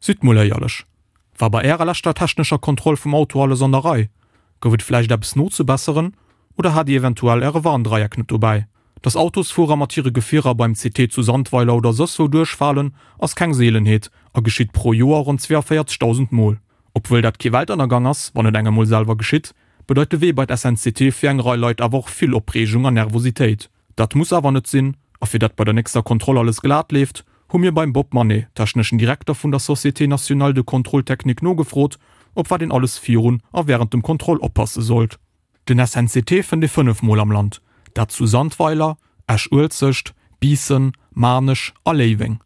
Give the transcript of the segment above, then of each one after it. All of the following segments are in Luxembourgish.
Sidd mol éierlech, War bei ärer leschter technescher Kontroll vum Auto alles an der Rei? Gouf et vläicht eppes nozebesseren oder hat dir eventuell äre Warndreieck net dobäi? Dass Autosfuerer mat hire Gefierer beim CT zu Sandweiler oder soss wou duerchfalen, ass keng Seelenheet a geschitt pro Joer ronn 42.000 Mol. Obwuel dat kee Weltënnergang ass, wann et engem mol selwer geschitt, bedeit de Wee bei d'SNCT fir eng Rei Leit awer och vill Opreegung an Nervositéit. Dat muss awer net sinn, a fir dat bei der nächster Kontroll alles glat leeft, hu mir beim Bob Manet, techneschen Direkter vun der Société Nationale de Contrôle Technique nogefrot, op wat een alles virun a wärend dem Kontroll oppasse sollt. Den SNCT fënnt ee 5 mol am Land, dat zu Sandweiler, Esch-Uelzecht, Biissen, Maarnech a Léiweng.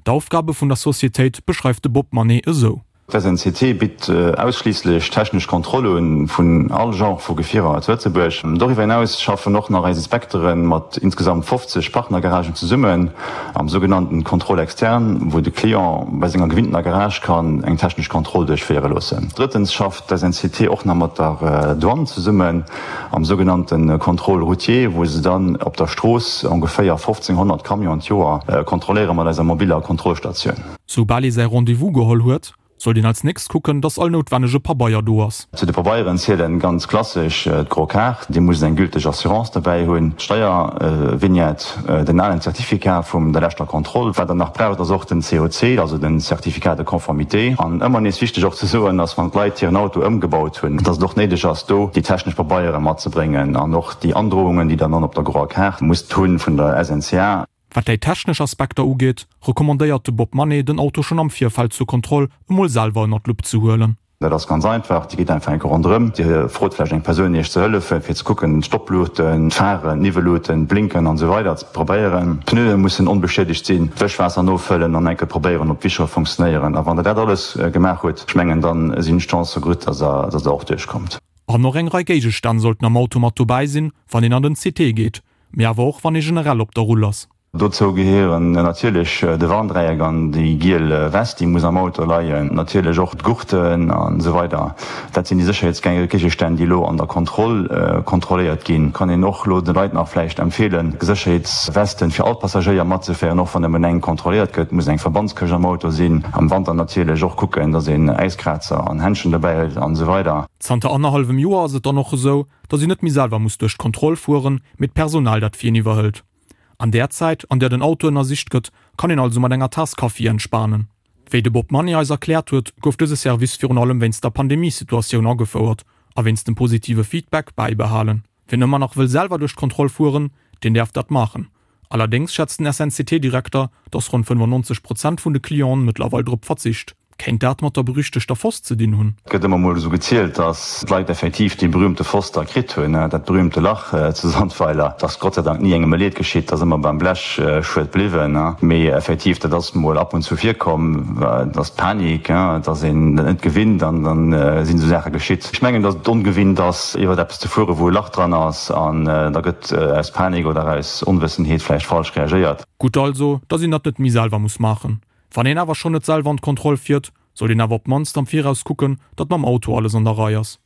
D'Aufgabe vun der Societéit beschreift de Bob Manet esou. D'SNCT bitt ausschliisslech technesch Kontrolle vun all Genre vu Gefierer zu Lëtzebuerg. Doriwwer hinaus schaffen och nach eis Inspektere mat insgesamt 50 Partnergaragen zesummen am sougenannten Contrôle externe, wou de Client bei senger gewinntener Garage kann eng technesch Kontroll duerchféiere loossen. Drëttens schafft d'SNCT och nach mat der Douane zesummen am sougenannte Contrôle routier, wou se dann op der Strooss ongeféier 1.500 Camionen d'Joer kontrolléiere mat eiser mobiller Kontrollstatioun. Soubal ee säi Rendez-vous geholl huet, sollt een als nächst kucken, dass all noutwennege Pabeier do ass. Zu de Pabeieren zielen ganz klassesch d'gro Kaart, Dir musst eng gülteg Assurance dobäi hunn, d'Steiervignette, den alen Certificat vum der leschter Kontroll. Wat der nach braucht ass och den COC, also den Certificat de conformité. An ëmmer nees wichteg och ze soen ass, wann d'Leit hiren Auto ëmgebaut hunn, dass et och néideg ass do déi technesch Pabeiere matzebréngen an och déi Androungen, déi der dann op der groer Kaart musst hunn vun der SNCA. Wat déi technesch Aspekter ugeet, recommandéiert de Bob Manet, den Auto schonn am Virfeld zur Kontroll emol selwer ënner d'Lupp ze huelen. Dat ass ganz einfach, Dir gitt einfach eng Kéier ronderëm, Dir frot vläicht eng Persoun Iech ze hëllefen, fir ze kucken, d'Stoppluuchten, d'Pharen, d'Niwwelluuten, d'Blinken an esou weider ze probéieren. D'Pneue mussen onbeschiedegt sinn, d'Wëschwaasser nofëllen an eng Kéier probéieren, ob d'Wischere funktionéieren. A wann Der dat alles gemaach hutt, ech mengen, da sinn d'Chancë gutt, dass Der, dass Der och duerchkommt. An och eng Rei Géigestänn sollten am Auto mat dobäi sinn, wann een an den CT geet, mee awer och wann ee generell op der Rull ass. Dozou gehéieren natierlech de Warndräieck an déi giel West, déi muss am Auto leien, natierlech och d'Gurten an esou weider. Dat sinn déi Sécherheetsgéigestänn, déi elo an der Kontroll kontrolléiert ginn. Kann een och elo de Leit nach vläicht empfeelen, Sécherheetswesten fir all Passagéier matzeféieren, och wann nëmmen eng kontrolléiert gëtt. Muss eng Verbandskëscht am Auto sinn. Am Wanter natierlech och kucken, dass een Äiskrazer an Händschen dobäi huet an esou weider. Zanter annerhallwem Joer ass et dann och esou, dass een net méi selwer muss duerch d'Kontroll fueren, mee d'Personal dat fir een iwwerhëlt. An där Zäit, an där den Auto ënnersicht gëtt, kann een also mat enger Taass Kaffi entspanen. Wéi de Bob Manni eis erkläert huet, gouf dëse Service virun allem wéinst der Pandemiesituatioun agefouert a wéinst dem positive Feedback bäibehalen. Wien ëmmer nach wëll selwer duerch d'Kontroll fueren, deen däerf dat maachen. Allerdéngs schätzt den SNCT-Direkter, datt ronn 95 Prozent vun de Clienten mëttlerweil drop verzicht. Kéint dat mat der berüchtegter Foss ze dinn hunn? Et gëtt ëmmer mol esou gezielt, datt d'Leit effektiv dee berühmte Foss da kritt hunn, dat berühmte Lach zu Sandweiler. Et ass Gott sei Dank ni engem e Leed geschitt, et ass ëmmer beim Blechschued bliwwen. Mee effektiv, dat ass mol ab und zu virkomm, et ass d'Panik, et ass een dat net gewinnt an dann sinn esou Saache geschitt. Ech mengen, datt et ongewinnt ass, iwwert eppes ze fueren, wou e Lach dran ass an da gëtt aus Panik oder aus Onwëssenheet vläicht falsch reagéiert. Gutt also, datt een dat net méi selwer muss maachen. Wann een awer schonn net selwer an d'Kontroll fiert, sollt een awer op d'mannst am Viraus kucken, datt mam Auto alles an der Rei ass.